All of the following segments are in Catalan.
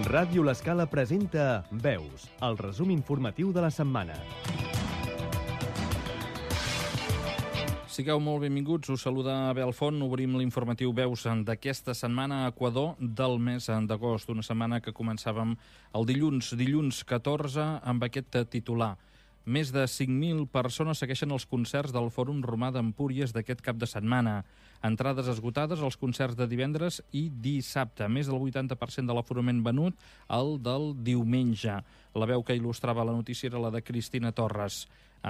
Ràdio L'Escala presenta Veus, el resum informatiu de la setmana. Sigueu molt benvinguts, us saluda Abel Font. Obrim l'informatiu Veus d'aquesta setmana a Equador del mes d'agost, una setmana que començàvem el dilluns 14, amb aquest titular. Més de 5.000 persones segueixen els concerts del Fòrum Romà d'Empúries d'aquest cap de setmana. Entrades esgotades als concerts de divendres i dissabte. Més del 80% de l'aforament venut, el del diumenge. La veu que il·lustrava la notícia era la de Cristina Torres,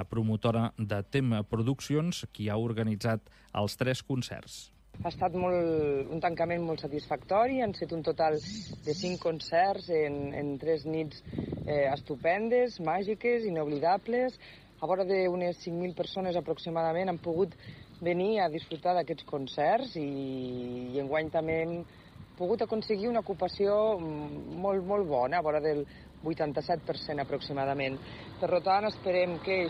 promotora de Tema Produccions, qui ha organitzat els 3 concerts. Ha estat un tancament molt satisfactori, han estat un total de 5 concerts en 3 nits estupendes, màgiques, inoblidables. A vora d'unes 5.000 persones aproximadament han pogut venir a disfrutar d'aquests concerts i enguany també hem pogut aconseguir una ocupació molt bona, a vora del 87% aproximadament. Per tant, esperem que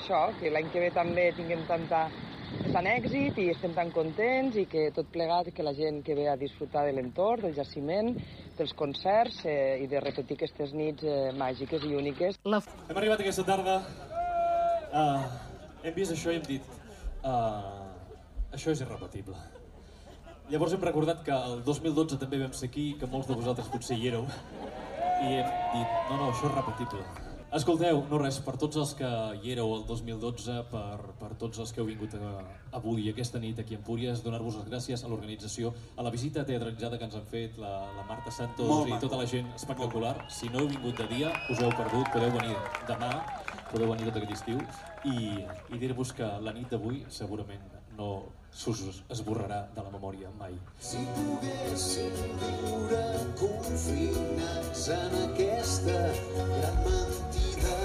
l'any que ve també tinguem tant èxit i estem tan contents i que tot plegat, que la gent que ve a disfrutar de l'entorn, del jaciment, dels concerts i de repetir aquestes nits màgiques i úniques. Hem arribat aquesta tarda, hem vist això i hem dit això és irrepetible. Llavors hem recordat que el 2012 també vam ser aquí, que molts de vosaltres potser hi éreu, i hem dit, no, això és repetible. Escolteu, no res, per tots els que hi éreu el 2012, per tots els que heu vingut avui, aquesta nit aquí a Empúries, donar-vos les gràcies a l'organització, a la visita teatralitzada que ens han fet la Marta Santos i tota la gent espectacular. Si no heu vingut de dia, us heu perdut, podeu venir demà, podeu venir tot aquest estiu i dir-vos que la nit d'avui segurament no s'us esborrarà de la memòria mai. Si poguéssim viure confinats en aquesta gran mentida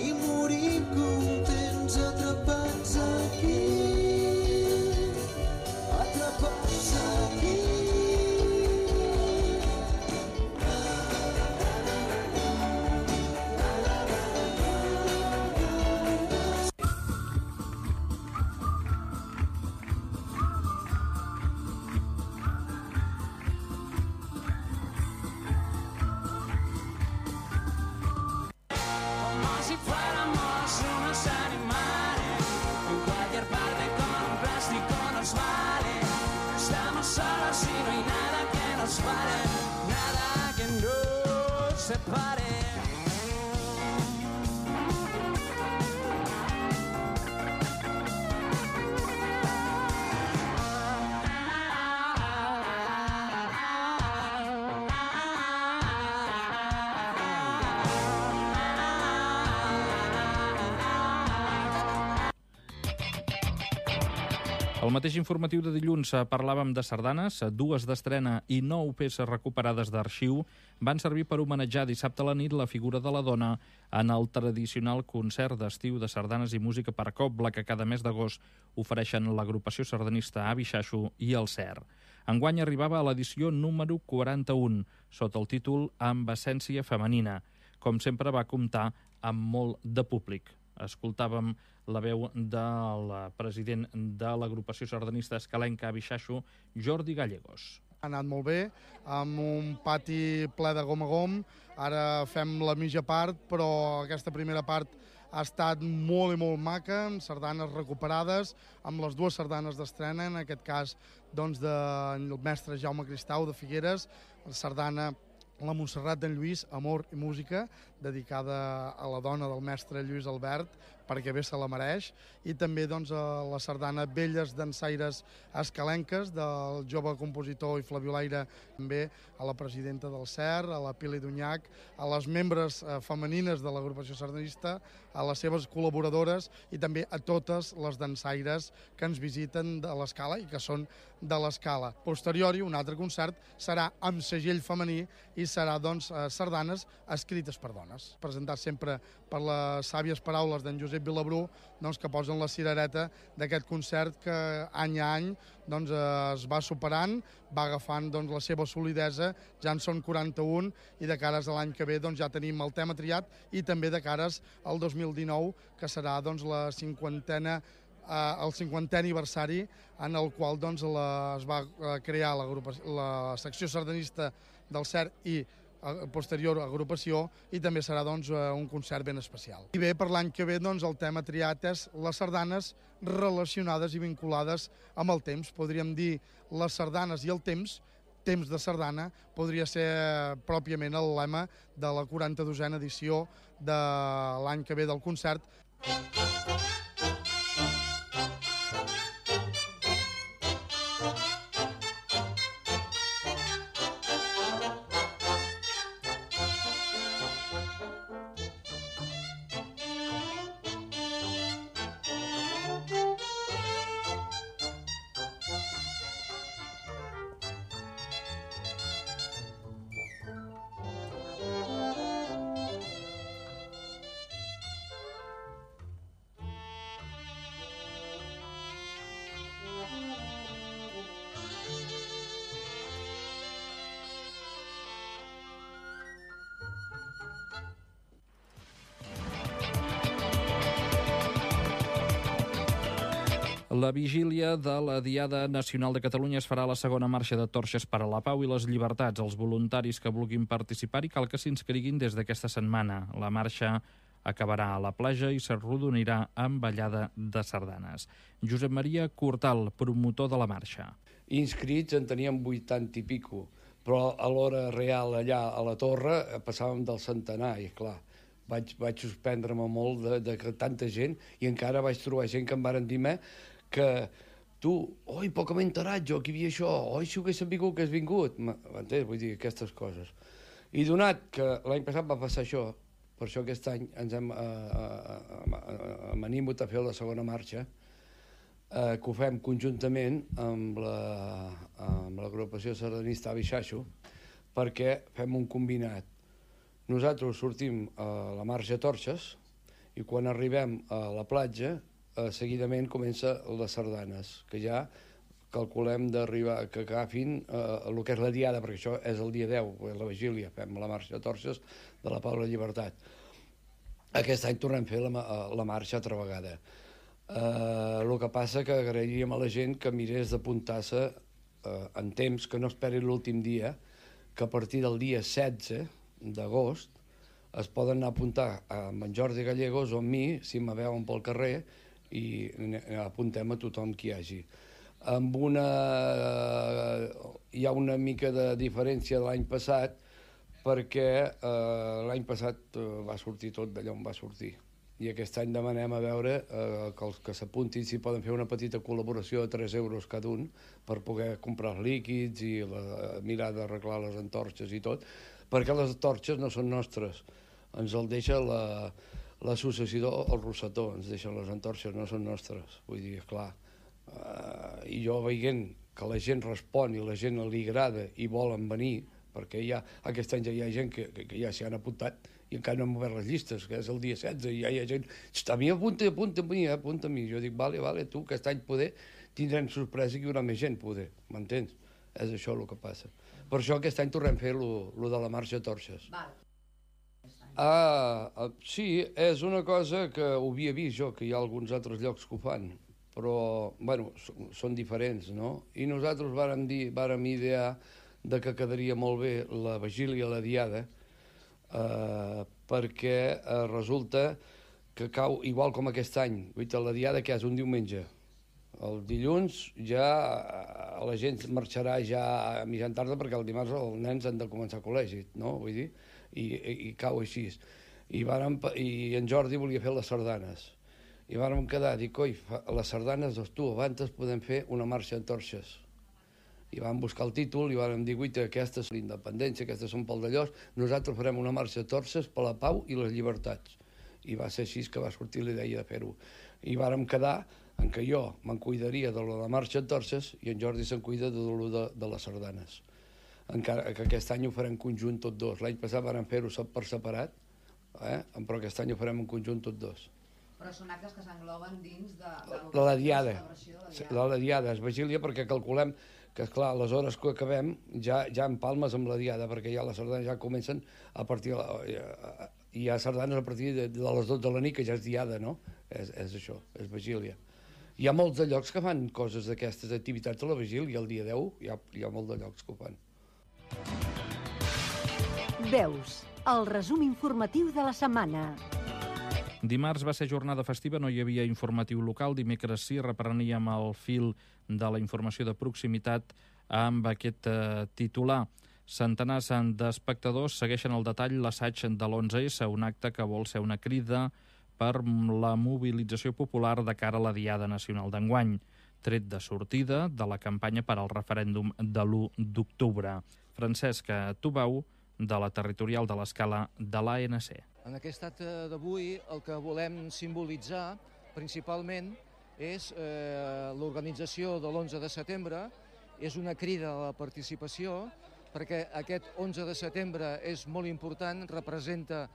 i morir contents atrapats aquí, atrapats aquí. Al mateix informatiu de dilluns parlàvem de sardanes, 2 d'estrena i 9 peces recuperades d'arxiu van servir per homenatjar dissabte a la nit la figura de la dona en el tradicional concert d'estiu de sardanes i música per cobla que cada mes d'agost ofereixen l'agrupació sardanista Avi Xaxo i el CER. Enguany arribava a l'edició número 41, sota el títol Amb essència femenina. Com sempre va comptar amb molt de públic. Escoltàvem la veu del president de l'agrupació sardanista escalenca Avi Xaxo, Jordi Gallegos. Ha anat molt bé, amb un pati ple de gom a gom. Ara fem la mitja part, però aquesta primera part ha estat molt i molt maca, amb sardanes recuperades, amb les 2 sardanes d'estrena, en aquest cas doncs, del mestre Jaume Cristau de Figueres, la sardana La Montserrat d'en Lluís, Amor i Música, dedicada a la dona del mestre Lluís Albert, perquè bé se la mereix, i també doncs, a la sardana Velles dansaires escalenques del jove compositor i flabiolaire, també a la presidenta del CER, a la Pili Dunyac, a les membres femenines de l'agrupació sardanista, a les seves col·laboradores i també a totes les dansaires que ens visiten de l'Escala i que són de l'Escala. Posteriori, un altre concert serà amb segell femení i serà doncs, sardanes escrites per dones. Presentat sempre per les sàvies paraules d'en Josep Vilabrú, doncs, que posen la cirereta d'aquest concert que any a any doncs, es va superant, va agafant doncs, la seva solidesa, ja en són 41 i de cares a l'any que ve doncs, ja tenim el tema triat i també de cares al 2019, que serà doncs, el 50è aniversari en el qual doncs, es va crear la secció sardanista del CER i posterior agrupació, i també serà doncs, un concert ben especial. I bé, per l'any que ve doncs, el tema triat és les sardanes relacionades i vinculades amb el temps. Podríem dir les sardanes i el temps de sardana, podria ser pròpiament el lema de la 42a edició de l'any que ve del concert. La vigília de la Diada Nacional de Catalunya es farà a la segona marxa de torxes per a la pau i les llibertats. Els voluntaris que vulguin participar-hi cal que s'inscriguin des d'aquesta setmana. La marxa acabarà a la platja i s'arrodonirà amb ballada de sardanes. Josep Maria Cortal, promotor de la marxa. Inscrits en teníem 80 i pico, però a l'hora real allà a la torre passàvem del centenar i clar, vaig suspendre-me molt de tanta gent i encara vaig trobar gent que em varen dir que tu, oi, poc m'he enterat jo que hi havia això, oi, si ho haguéssim vingut, que has vingut, m'entens? Vull dir, aquestes coses. I donat que l'any passat va passar això, per això aquest any ens hem animat a fer la segona marxa, que ho fem conjuntament amb l'agrupació sardanista Avi Xaixo, perquè fem un combinat. Nosaltres sortim a la marxa Torxes i quan arribem a la platja seguidament comença les sardanes, que ja calculem d'arribar, que agafin el que és la diada, perquè això és el dia 10, la vigília, fem la marxa Torxes de la Pau i la Llibertat. Aquest any tornem a fer la marxa altra vegada. El que passa que agrairíem a la gent que mirés d'apuntar-se en temps, que no esperi l'últim dia, que a partir del dia 16 d'agost es poden anar a apuntar amb en Jordi Gallegos o amb mi, si me veuen pel carrer, i apuntem a tothom que hi hagi. Hi ha una mica de diferència de l'any passat, perquè l'any passat va sortir tot d'allà on va sortir. I aquest any demanem a veure que els que s'apuntin si poden fer una petita col·laboració de 3 euros cada un per poder comprar els líquids i mirar d'arreglar les antorxes i tot, perquè les antorxes no són nostres. Ens el deixa l'associació El Rosetó, ens deixen les antorxes, no són nostres. Vull dir, clar, i jo veient que la gent respon i la gent li agrada i volen venir, perquè aquest any ja hi ha gent que ja s'hi han apuntat i encara no hem obert les llistes, que és el dia 16, i ja hi ha gent, a mi apunta a mi. Jo dic, vale, tu, aquest any poder tindrem sorpresa que hi haurà més gent, poder, m'entens? És això el que passa. Per això aquest any tornem a fer lo de la marxa Torxes. Sí, és una cosa que ho havia vist jo, que hi ha alguns altres llocs que ho fan, però, bueno, són diferents, no? I nosaltres vàrem idear que quedaria molt bé la vigília, la diada, perquè resulta que cau igual com aquest any. La diada que és un diumenge. El dilluns ja la gent marxarà ja a mitjan tarda perquè el dimarts els nens han de començar a col·legi, no? Vull dir, i cau així. I en Jordi volia fer les sardanes. I vàrem quedar, dic, oi, les sardanes, abans podem fer una marxa en torxes. I vam buscar el títol i vam dir, guaita, aquestes són l'independència, aquestes són pel d'allòs, nosaltres farem una marxa de torxes per la pau i les llibertats. I va ser així que va sortir la idea de fer-ho. I vàrem quedar en què jo me'n cuidaria de la marxa de torxes i en Jordi se'n cuida de les sardanes. Encara que aquest any ho farem conjunt tots dos. L'any passat vàrem fer-ho per separat, però aquest any ho farem en conjunt tots dos. Però són actes que s'engloben dins de la diada. La diada és vigília perquè calculem que, esclar, les hores que acabem ja empalmes amb la diada, perquè ja les sardanes ja comencen a partir... Hi ha sardanes a partir de les 12 de la nit, que ja és diada, no? És això, és vigília. Hi ha molts de llocs que fan coses d'aquestes activitats a la vigília, el dia 10 hi ha molts de llocs que ho fan. Veus, el resum informatiu de la setmana. Dimarts va ser jornada festiva, no hi havia informatiu local. Dimecres sí, repreníem el fil de la informació de proximitat amb aquest titular. Centenars d'espectadors segueixen al detall l'assaig de l'11S, un acte que vol ser una crida per la mobilització popular de cara a la Diada Nacional d'enguany, tret de sortida de la campanya per al referèndum de l'1 d'octubre. Francesc Tubau, de la territorial de l'Escala de l'ANC. En aquest acte d'avui el que volem simbolitzar principalment és l'organització de l'11 de setembre, és una crida a la participació, perquè aquest 11 de setembre és molt important, representa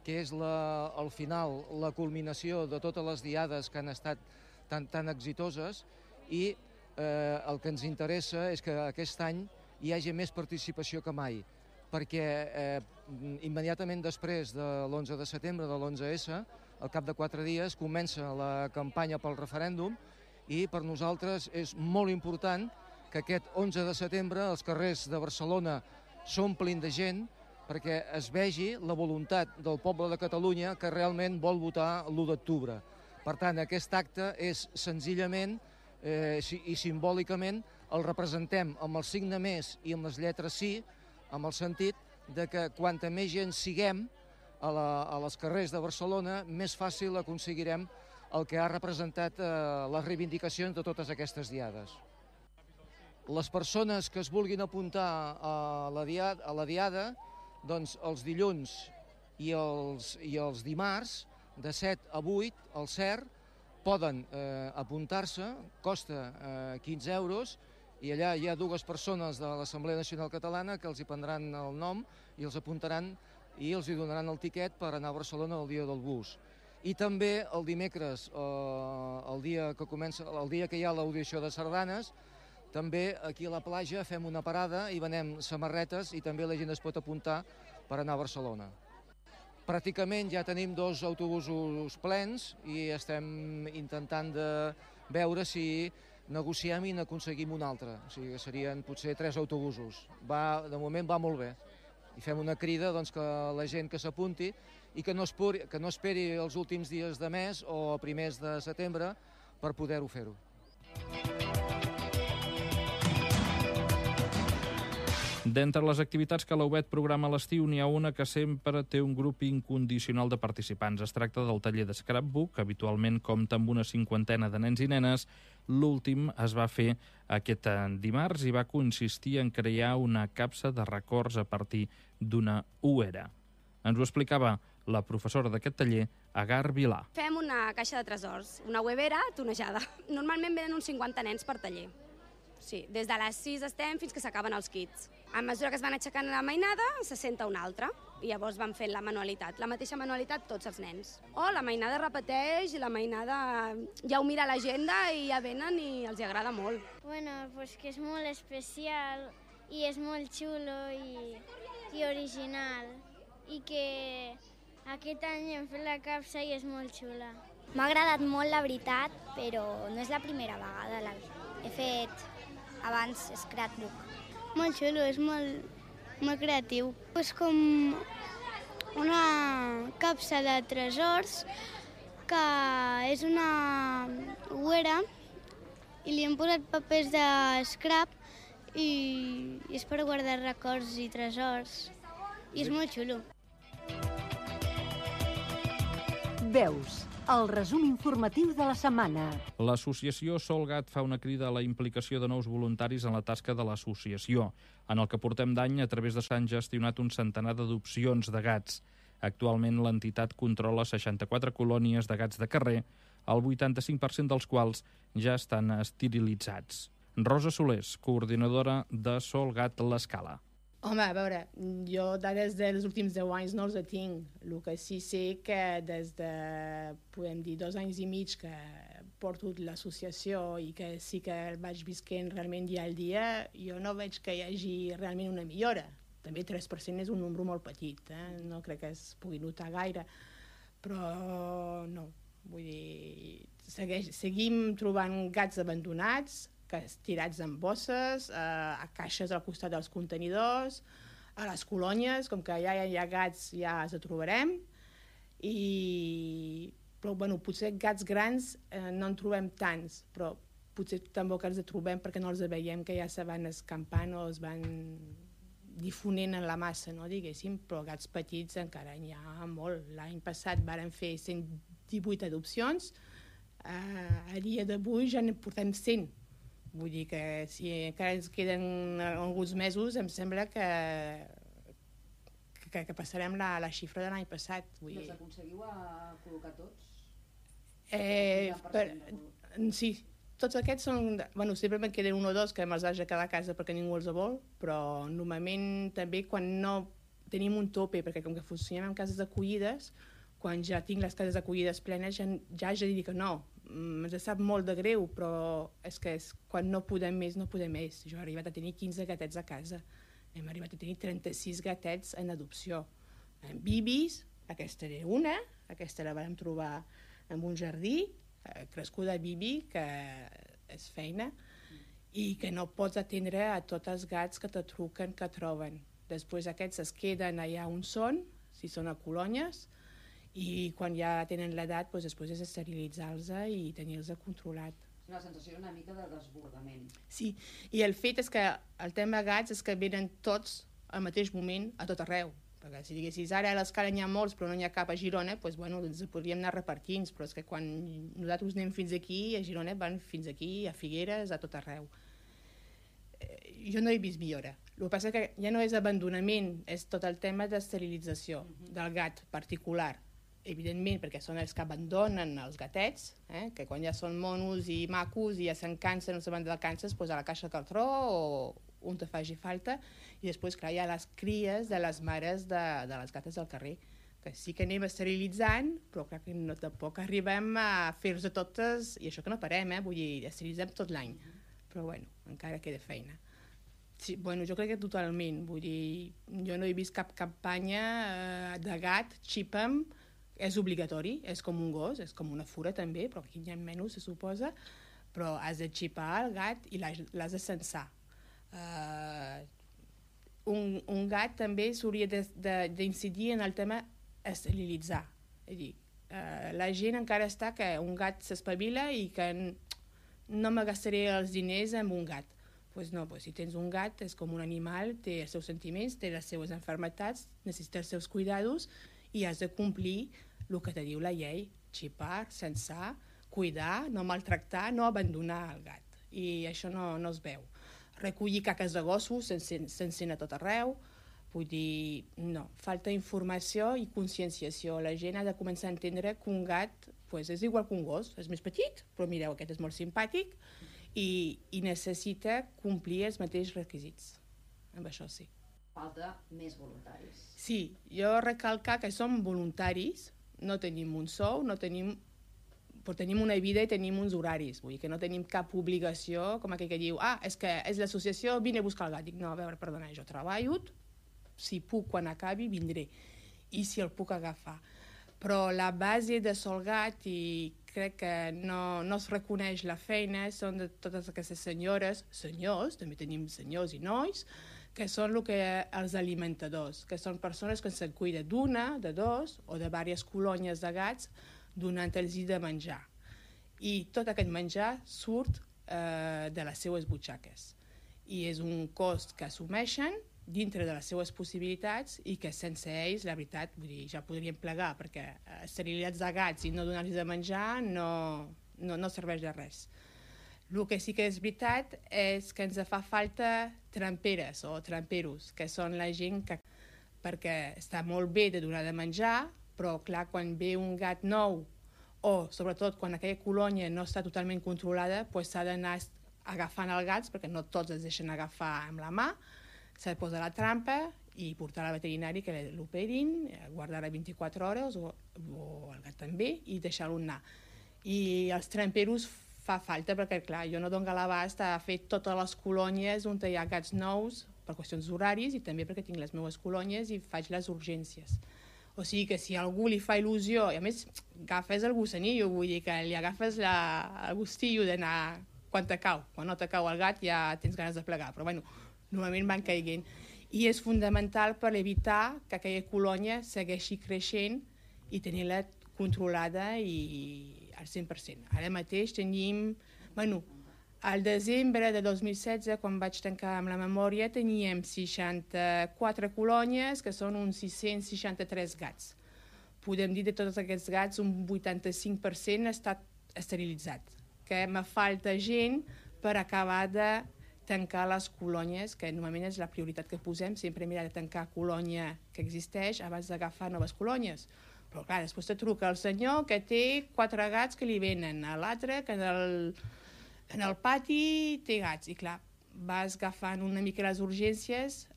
que és al final la culminació de totes les diades que han estat tan exitoses i el que ens interessa és que aquest any hi hagi més participació que mai, perquè immediatament després de l'11 de setembre, de l'11S, al cap de 4 dies comença la campanya pel referèndum i per nosaltres és molt important que aquest 11 de setembre els carrers de Barcelona s'omplin de gent perquè es vegi la voluntat del poble de Catalunya que realment vol votar l'1 d'octubre. Per tant, aquest acte és senzillament i simbòlicament el representem amb el signe més i amb les lletres sí, amb el sentit de que quanta més gent siguem a les carrers de Barcelona, més fàcil aconseguirem el que ha representat les reivindicacions de totes aquestes diades. Les persones que es vulguin apuntar a la diada, doncs els dilluns i els dimarts, de 7 a 8, al CER, poden apuntar-se, costa 15 euros, i allà hi ha 2 persones de l'Assemblea Nacional Catalana que els hi prendran el nom i els apuntaran i els hi donaran el tiquet per anar a Barcelona el dia del bus. I també el dimecres, el dia que hi ha l'audició de sardanes, també aquí a la platja fem una parada i venem samarretes i també la gent es pot apuntar per anar a Barcelona. Pràcticament ja tenim 2 autobusos plens i estem intentant de veure si negociem i n'aconseguim un altre. O sigui que serien potser 3 autobusos. De moment va molt bé. I fem una crida que la gent que s'apunti i que no esperi els últims dies de mes o a primers de setembre per poder-ho fer-ho. D'entre les activitats que la UBET programa a l'estiu, n'hi ha una que sempre té un grup incondicional de participants. Es tracta del taller de Scrapbook, que habitualment compta amb una 50ena de nens i nenes. L'últim es va fer aquest dimarts i va consistir en crear una capsa de records a partir d'una uera. Ens ho explicava la professora d'aquest taller, Agar Vilà. Fem una caixa de tresors, una uevera tonejada. Normalment venen uns 50 nens per taller. Sí, des de les 6 estem fins que s'acaben els kits. A mesura que es van aixecant la mainada, se senta una altra. I llavors van fent la manualitat, la mateixa manualitat tots els nens. O la mainada repeteix i la mainada ja ho mira a l'agenda i ja venen i els agrada molt. Bueno, pues que és molt especial i és molt xulo i original. I que aquest any hem fet la capsa i és molt xula. M'ha agradat molt, la veritat, però no és la primera vegada. He fet abans Scrapbook. Molt xulo, és molt creatiu. És com una capsa de tresors que és una uera i li hem posat papers de scrap i és per guardar records i tresors. I és molt xulo. Veus, el resum informatiu de la setmana. L'associació Solgat fa una crida a la implicació de nous voluntaris en la tasca de l'associació. En el que portem d'any, a través de s'han gestionat un centenar d'adopcions de gats. Actualment, l'entitat controla 64 colònies de gats de carrer, el 85% dels quals ja estan esterilitzats. Rosa Solés, coordinadora de Solgat l'Escala. Home, a veure, jo dades dels últims 10 anys no els tinc. El que sí sé que des de, podem dir, 2 anys i mig que porto l'associació i que sí que el vaig visquent realment dia al dia, jo no veig que hi hagi realment una millora. També 3% és un número molt petit, no crec que es pugui notar gaire, però no, vull dir, seguim trobant gats abandonats, tirats en bosses, a caixes al costat dels contenidors, A les colònies, com que ja hi ha gats, ja els trobarem, però bueno, potser gats grans no en trobem tants, però potser tampoc els trobem perquè no els veiem que ja se van escampant o es van difonent en la massa, no, diguéssim, però gats petits encara n'hi ha molt. L'any passat varen fer 118 adopcions, a dia d'avui ja ne portem 100. Vull dir que si encara ens queden alguns mesos, em sembla que passarem la xifra de l'any passat. Els aconseguiu a col·locar tots? Sí, tots aquests són... Bueno, sempre me'n queden un o dos que me'ls haig de quedar a casa perquè ningú els vol, però normalment també quan no tenim un tope, perquè com que funcionem en cases d'acollides, quan ja tinc les cases d'acollides plenes ja haig de dir que no. Ens sap molt de greu, però és que quan no podem més, no podem més. Jo he arribat a tenir 15 gatets a casa. Hem arribat a tenir 36 gatets en adopció. En bibis, aquesta era una, aquesta la vam trobar en un jardí, crescuda bibi, que és feina, i que no pots atendre a tots els gats que te truquen, que troben. Després aquests es queden allà on són, si són a colònies, i quan ja tenen l'edat, després és esterilitzar-los i tenir-los controlat. Una sensació una mica de desbordament. Sí, i el fet és que el tema gats és que venen tots al mateix moment a tot arreu. Perquè si diguessis ara a l'escala n'hi ha molts però no n'hi ha cap a Girona, doncs bueno, ens podríem anar repartint, però és que quan nosaltres anem fins aquí, a Girona van fins aquí, a Figueres, a tot arreu. Jo no he vist millora. El que passa que ja no és abandonament, és tot el tema d'esterilització del gat particular. Evidentment, perquè són els que abandonen els gatets, que quan ja són monos i macos i ja se'n cansen, no se van de vacances, doncs a la caixa de cartró o on te faci falta, i després, clar, hi ha les cries de les mares de les gates del carrer, que sí que anem esterilitzant, però clar que no, tampoc arribem a fer-los totes, i això que no parem, vull dir, esterilitzem tot l'any, però bueno, encara queda feina. Sí, bueno, jo crec que totalment, vull dir, jo no he vist cap campanya de gat, xipa'm, és obligatori, és com un gos, és com una fura també, però aquí n'hi ha menys, se suposa, però has de xipar el gat i l'has de censar. Un gat també s'hauria d'incidir en el tema esterilitzar. És a dir, la gent encara està que un gat s'espavila i que no me gastaré els diners amb un gat. Doncs no, si tens un gat és com un animal, té els seus sentiments, té les seues malalties, necessita els seus cuidados i has de complir el que te diu la llei, xipar, censar, cuidar, no maltractar, no abandonar el gat. I això no es veu. Recollir caques de gossos s'encén a tot arreu, vull dir, no, falta informació i conscienciació. La gent ha de començar a entendre que un gat és igual que un gos, és més petit, però mireu, aquest és molt simpàtic i necessita complir els mateixos requisits. Amb això sí. Falta més voluntaris. Sí, jo recalcar que som voluntaris, no tenim un sou, però tenim una vida i tenim uns horaris, vull dir que no tenim cap obligació, com aquell que diu, és que és l'associació, vine a buscar el gat. Dic, no, a veure, perdona, jo treballo, si puc quan acabi vindré, i si el puc agafar. Però la base de Sol Gat, i crec que no es reconeix la feina, són de totes aquestes senyores, senyors, també tenim senyors i nois, que són els alimentadors, que són persones que se'n cuiden d'una, de dos o de diverses colònies de gats donant-los de menjar. I tot aquest menjar surt de les seues butxaques. I és un cost que assumeixen dintre de les seues possibilitats i que sense ells, la veritat, vull dir, ja podríem plegar, perquè esterilitzats de gats i no donar-los de menjar no serveix de res. El que sí que és veritat és que ens fa falta tramperes o tramperos, que són la gent que... perquè està molt bé de donar de menjar, però clar, quan ve un gat nou o sobretot quan aquella colònia no està totalment controlada, s'ha d'anar agafant els gats, perquè no tots es deixen agafar amb la mà, s'ha de posar la trampa i portar al veterinari que l'operin, guardar-la 24 hores o el gat també i deixar-lo anar. I els tramperos fa falta perquè, clar, jo no dono l'abast a fer totes les colònies on hi ha gats nous per qüestions d'horaris i també perquè tinc les meves colònies i faig les urgències. O sigui que si a algú li fa il·lusió, i a més agafes el gossanillo, vull dir que li agafes el gustillo d'anar quan te cau. Quan no te cau el gat ja tens ganes de plegar, però bueno, normalment van caiguent. i és fundamental per evitar que aquella colònia segueixi creixent i tenir-la controlada i al 100%. Ara mateix tenim... Al desembre de 2016, quan vaig tancar amb la memòria, teníem 64 colònies, que són uns 663 gats. Podem dir de tots aquests gats, un 85% ha estat esterilitzat, que me falta gent per acabar de tancar les colònies, que normalment és la prioritat que posem, sempre mirar de tancar colònia que existeix abans d'agafar noves colònies. Però clar, després te truca el senyor que té 4 gats que li venen, a l'altre que en el pati té gats, i clar, vas agafant una mica les urgències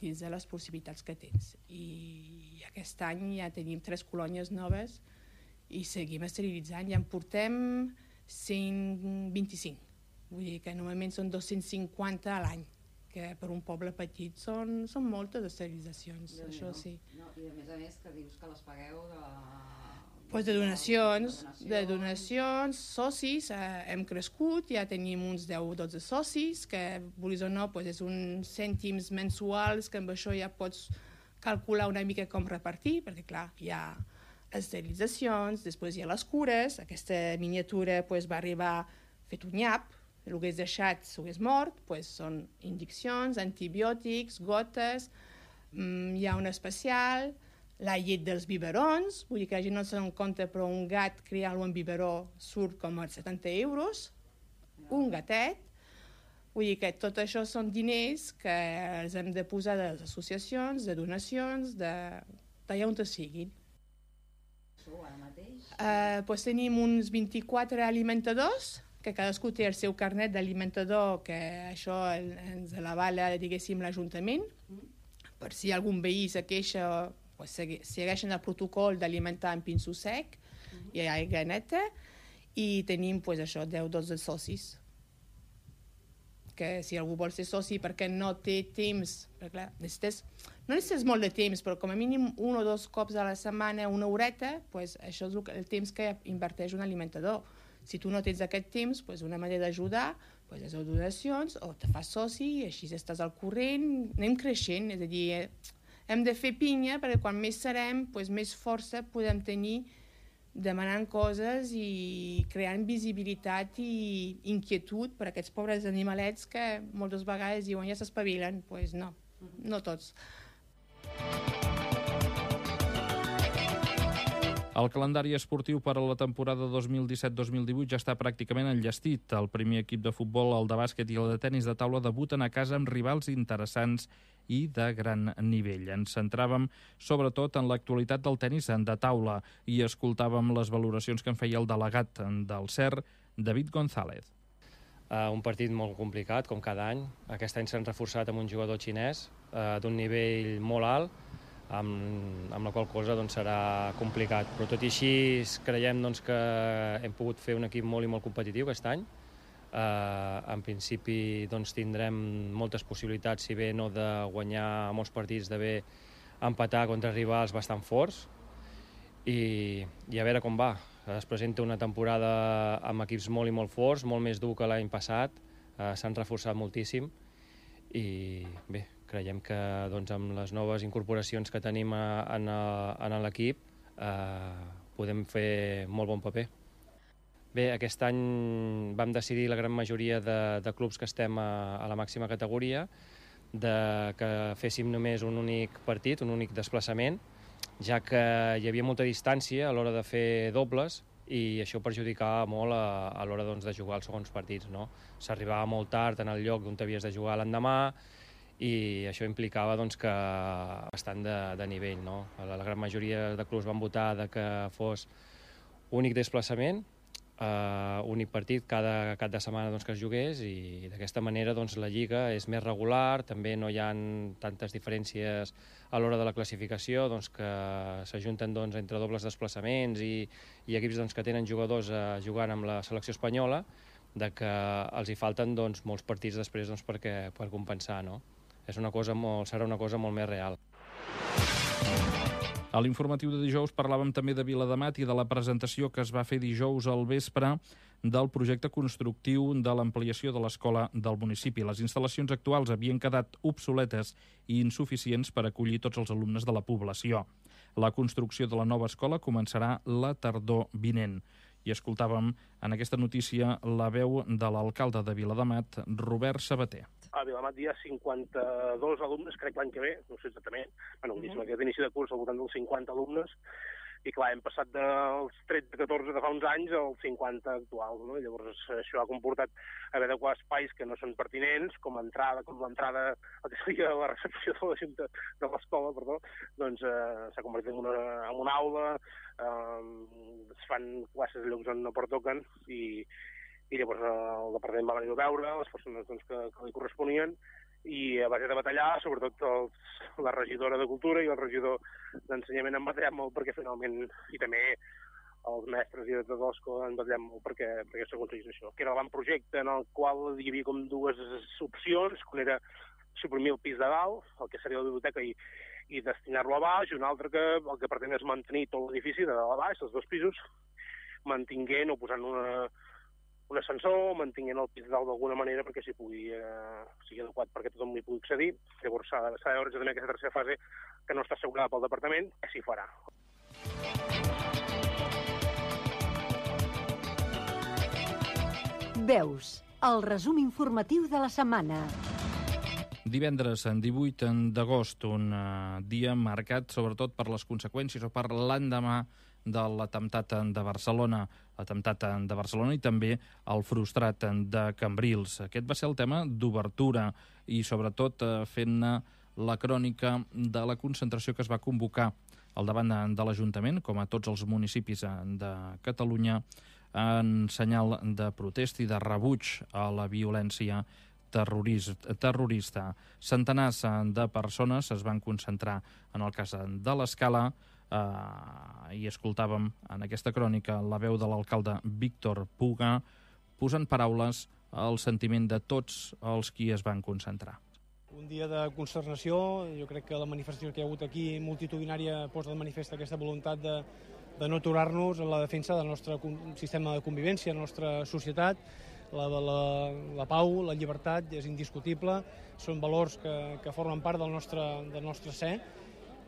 dins de les possibilitats que tens. I aquest any ja tenim 3 colònies noves i seguim esterilitzant, ja en portem 125. Vull dir que normalment són 250 a l'any, que per un poble petit són moltes esterilitzacions, això sí. I a més que dius que les pagueu de donacions, socis, hem crescut, ja tenim uns 10-12 socis, que, vulguis o no, és uns cèntims mensuals, que amb això ja pots calcular una mica com repartir, perquè clar, hi ha les esterilitzacions, després hi ha les cures, aquesta miniatura va arribar fet un nyap, el que hagués deixat s'ho hagués mort, són injeccions, antibiòtics, gotes, hi ha un especial, la llet dels biberons, vull dir que la gent no se'n compta, però un gat criar-lo en biberó surt com a 70 euros, un gatet, vull dir que tot això són diners que els hem de posar de les associacions, de donacions, d'allà on siguin. Ara mateix? Tenim uns 24 alimentadors, que cadascú té el seu carnet d'alimentador, que això ens l'avala, diguéssim, l'Ajuntament. Per si algun veí se queixa, segueixen el protocol d'alimentar en pinso sec, i aigua neta, i tenim 10-12 socis. Que si algú vol ser soci perquè no té temps, perquè no necessites molt de temps, però com a mínim 1 o 2 cops a la setmana, una horeta, això és el temps que inverteix un alimentador. Si tu no tens aquest temps, una manera d'ajudar és donacions o te fas soci i així estàs al corrent, anem creixent, és a dir, hem de fer pinya perquè quan més serem, més força podem tenir demanant coses i creant visibilitat i inquietud per a aquests pobres animalets que moltes vegades diuen ja s'espavilen, no tots. El calendari esportiu per a la temporada 2017-2018 ja està pràcticament enllestit. El primer equip de futbol, el de bàsquet i el de tenis de taula debuten a casa amb rivals interessants i de gran nivell. Ens centràvem sobretot en l'actualitat del tenis de taula i escoltàvem les valoracions que en feia el delegat del CER, David González. Un partit molt complicat, com cada any. Aquest any s'han reforçat amb un jugador xinès d'un nivell molt alt, amb la qual cosa serà complicat. Però tot i així creiem que hem pogut fer un equip molt i molt competitiu aquest any. En principi tindrem moltes possibilitats, si bé no de guanyar molts partits, d'haver empatar contra rivals bastant forts i a veure com va. Es presenta una temporada amb equips molt i molt forts, molt més dur que l'any passat, s'han reforçat moltíssim i bé, creiem que amb les noves incorporacions que tenim en l'equip podem fer molt bon paper. Bé, aquest any vam decidir la gran majoria de clubs que estem a la màxima categoria que féssim només un únic partit, un únic desplaçament, ja que hi havia molta distància a l'hora de fer dobles i això perjudicava molt a l'hora de jugar els segons partits. S'arribava molt tard en el lloc on havies de jugar l'endemà i això implicava que bastant de nivell. La gran majoria de clubs van votar que fos únic desplaçament, únic partit cada cap de setmana que es jugués i d'aquesta manera la Lliga és més regular, també no hi ha tantes diferències a l'hora de la classificació que s'ajunten entre dobles desplaçaments i equips que tenen jugadors jugant amb la selecció espanyola que els hi falten molts partits després per compensar. Serà una cosa molt més real. A l'informatiu de dijous parlàvem també de Viladamat i de la presentació que es va fer dijous al vespre del projecte constructiu de l'ampliació de l'escola del municipi. Les instal·lacions actuals havien quedat obsoletes i insuficients per acollir tots els alumnes de la població. La construcció de la nova escola començarà la tardor vinent. I escoltàvem en aquesta notícia la veu de l'alcalde de Viladamat, Robert Sabater. A Viladamat hi ha 52 alumnes, crec l'any que ve, no sé exactament, aquest inici de curs al voltant dels 50 alumnes, i clar, hem passat dels 13-14 de fa uns anys als 50 actuals, no? Llavors això ha comportat haver d'adequar espais que no són pertinents, com l'entrada, el que seria la recepció de l'escola, doncs s'ha convertit en una aula, es fan classes a llocs on no pertoquen, i llavors el departament va venir a veure les persones que li corresponien, i a base de batallar, sobretot la regidora de Cultura i el regidor d'Ensenyament han batallat molt perquè finalment, i també els mestres i directors de l'escola han batallat molt perquè s'aconseguís això. Que era l'avantprojecte en el qual hi havia com dues opcions, que era suprimir el pis de dalt, el que seria la biblioteca, i destinar-lo a baix, i un altre que el que pretén és mantenir tot l'edifici de dalt a baix, els 2 pisos, mantinguent o posant un ascensor, mantinguent el pis dalt d'alguna manera perquè sigui adequat perquè tothom hi pugui accedir. Llavors s'ha de veure també aquesta tercera fase que no està assegurada pel departament, que s'hi farà. Veus, el resum informatiu de la setmana. Divendres, 18 d'agost, un dia marcat sobretot per les conseqüències o per l'endemà de l'atemptat de Barcelona. L'atemptat de Barcelona i també el frustrat de Cambrils. Aquest va ser el tema d'obertura i sobretot fent-ne la crònica de la concentració que es va convocar al davant de l'Ajuntament, com a tots els municipis de Catalunya, en senyal de protesta i de rebuig a la violència terrorista. Centenars de persones es van concentrar en el cas de l'Escala i escoltàvem en aquesta crònica la veu de l'alcalde Víctor Puga posant paraules al sentiment de tots els qui es van concentrar. Un dia de consternació, jo crec que la manifestació que hi ha hagut aquí multitudinària posa de manifest aquesta voluntat de no aturar-nos en la defensa del nostre sistema de convivència, la nostra societat. La pau, la llibertat és indiscutible, són valors que formen part del nostre ser,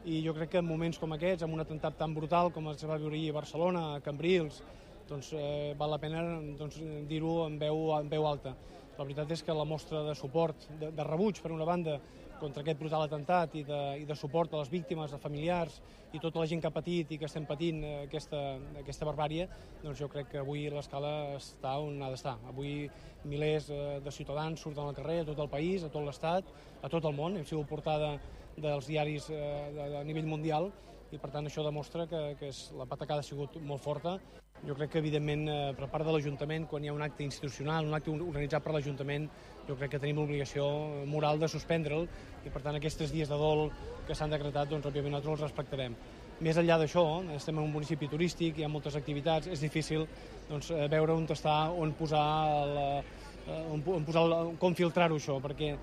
i jo crec que en moments com aquests, amb un atemptat tan brutal com es va viure ahir a Barcelona, a Cambrils, doncs val la pena dir-ho en veu alta. La veritat és que la mostra de suport, de rebuig, per una banda, contra aquest brutal atemptat i de suport a les víctimes, a familiars i tota la gent que ha patit i que estem patint aquesta barbàrie, doncs jo crec que avui l'Escala està on ha d'estar. Avui milers de ciutadans surten al carrer a tot el país, a tot l'Estat, a tot el món. Hem sigut portada dels diaris a nivell mundial i per tant això demostra que la patacada ha sigut molt forta. Jo crec que evidentment per part de l'Ajuntament, quan hi ha un acte institucional, un acte organitzat per l'Ajuntament, jo crec que tenim l'obligació moral de suspendre'l i per tant aquests dies de dol que s'han decretat, doncs òbviament nosaltres els respectarem. Més enllà d'això, estem en un municipi turístic, hi ha moltes activitats, és difícil veure on està, com filtrar-ho això, perquè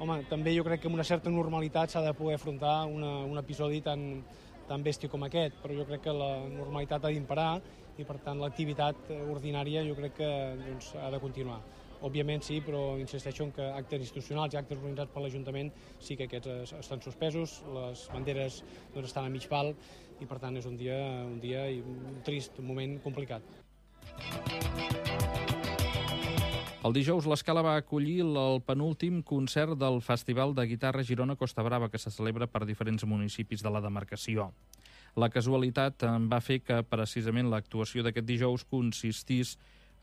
home, també jo crec que amb una certa normalitat s'ha de poder afrontar un episodi tan bèstia com aquest, però jo crec que la normalitat ha d'imperar i per tant l'activitat ordinària jo crec que ha de continuar. Òbviament sí, però insisteixo en que actes institucionals i actes organitzats per l'Ajuntament sí que aquests estan suspesos, les banderes estan a mig pal i per tant és un dia i un trist, un moment complicat. El dijous l'Escala va acollir el penúltim concert del Festival de Guitarra Girona Costa Brava, que se celebra per diferents municipis de la demarcació. La casualitat va fer que precisament l'actuació d'aquest dijous consistís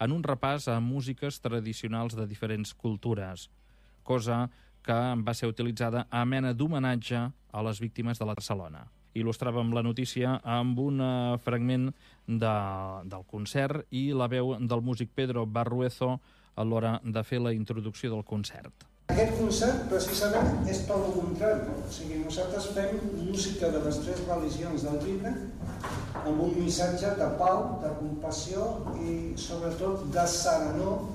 en un repàs a músiques tradicionals de diferents cultures, cosa que va ser utilitzada a mena d'homenatge a les víctimes de la Barcelona. Il·lustràvem la notícia amb un fragment del concert i la veu del músic Pedro Barruezo a l'hora de fer la introducció del concert. Aquest concert, precisament, és tot el contrari. O sigui, nosaltres fem música de les 3 religions del llibre amb un missatge de pau, de compassió i, sobretot, de serenor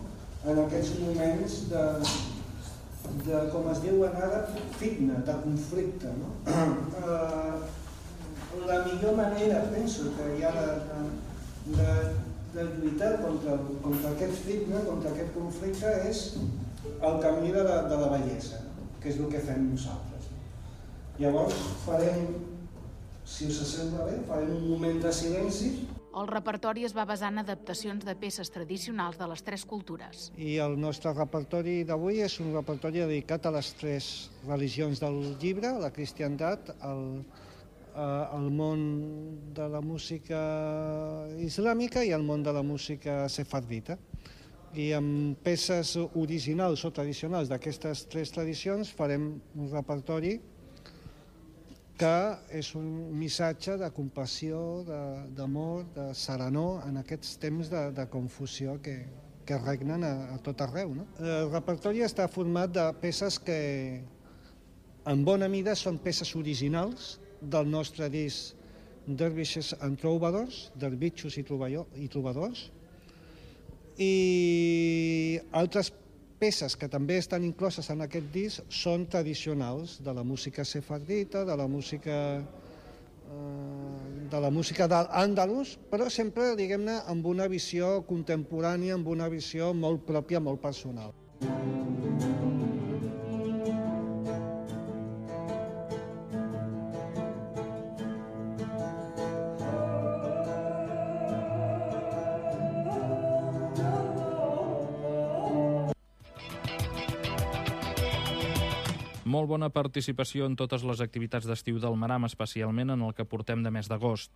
en aquests moments de com es diu ara, fitna, de conflicte. No? La millor manera, penso, que hi ha de lluitar contra aquest ritme, contra aquest conflicte, és el camí de la bellesa, que és el que fem nosaltres. Llavors farem, si us sembla bé, farem un moment de silenci. El repertori es va basar en adaptacions de peces tradicionals de les tres cultures. I el nostre repertori d'avui és un repertori dedicat a les tres religions del llibre, la cristiandat, el món de la música islàmica i el món de la música sefardita. I amb peces originals o tradicionals d'aquestes tres tradicions farem un repertori que és un missatge de compassió, d'amor, de serenor en aquests temps de confusió que regnen a tot arreu. El repertori està format de peces que en bona mida són peces originals del nostre disc Dervishes and Troubadours, Dervitxos i Trobadors, i altres peces que també estan incloses en aquest disc són tradicionals de la música sefardita, de la música d'Àndalus, però sempre, diguem-ne, amb una visió contemporània, amb una visió molt pròpia, molt personal. Molt bona participació en totes les activitats d'estiu del Maram, especialment en el que portem de mes d'agost.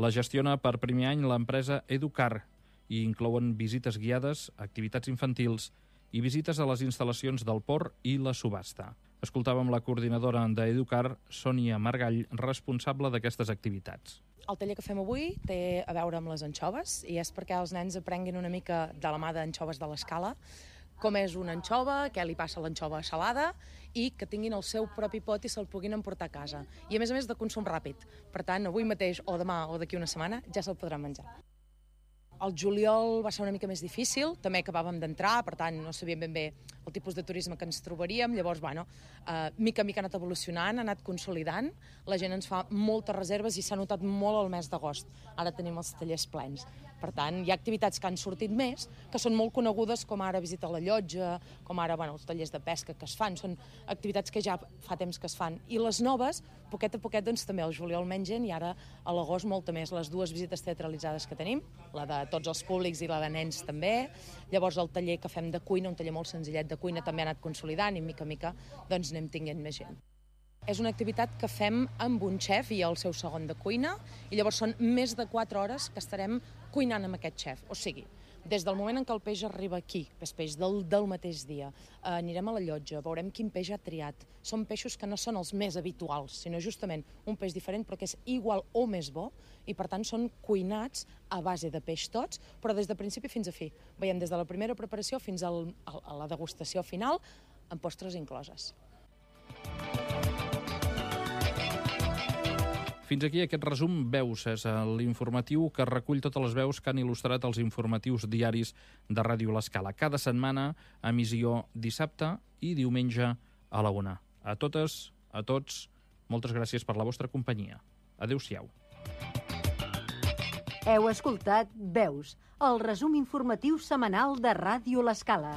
La gestiona per primer any l'empresa Educar i inclouen visites guiades, activitats infantils i visites a les instal·lacions del port i la subhasta. Escoltàvem la coordinadora d'Educar, Sònia Margall, responsable d'aquestes activitats. El taller que fem avui té a veure amb les anxoves i és perquè els nens aprenguin una mica de la mà d'anxoves de l'escala, com és una anxova, què li passa a l'anxova salada i que tinguin el seu propi pot i se'l puguin emportar a casa. I a més de consum ràpid. Per tant, avui mateix o demà o d'aquí una setmana ja se'l podran menjar. El juliol va ser una mica més difícil, també acabàvem d'entrar, per tant no sabíem ben bé el tipus de turisme que ens trobaríem, llavors, mica en mica ha anat evolucionant, ha anat consolidant, la gent ens fa moltes reserves i s'ha notat molt el mes d'agost. Ara tenim els tallers plens. Per tant, hi ha activitats que han sortit més, que són molt conegudes, com ara visita a la llotja, com ara els tallers de pesca que es fan, són activitats que ja fa temps que es fan. I les noves, poquet a poquet, també al juliol mengen i ara a l'agost molta més. Les dues visites teatralitzades que tenim, la de tots els públics i la de nens també. Llavors el taller que fem de cuina, un taller molt senzillet de cuina, també ha anat consolidant i mica en mica anem tinguent més gent. És una activitat que fem amb un xef i el seu segon de cuina i llavors són més de 4 hores que estarem cuinant amb aquest xef. O sigui, des del moment en què el peix arriba aquí, que és peix del mateix dia, anirem a la llotja, veurem quin peix ha triat. Són peixos que no són els més habituals, sinó justament un peix diferent però que és igual o més bo i per tant són cuinats a base de peix tots, però des de principi fins a fi. Veiem des de la primera preparació fins a la degustació final amb postres incloses. Fins aquí aquest resum Veus, és l'informatiu que recull totes les veus que han il·lustrat els informatius diaris de Ràdio L'Escala. Cada setmana, emissió dissabte i diumenge a la 1. A totes, a tots, moltes gràcies per la vostra companyia. Adéu-siau. Heu escoltat Veus, el resum informatiu setmanal de Ràdio L'Escala.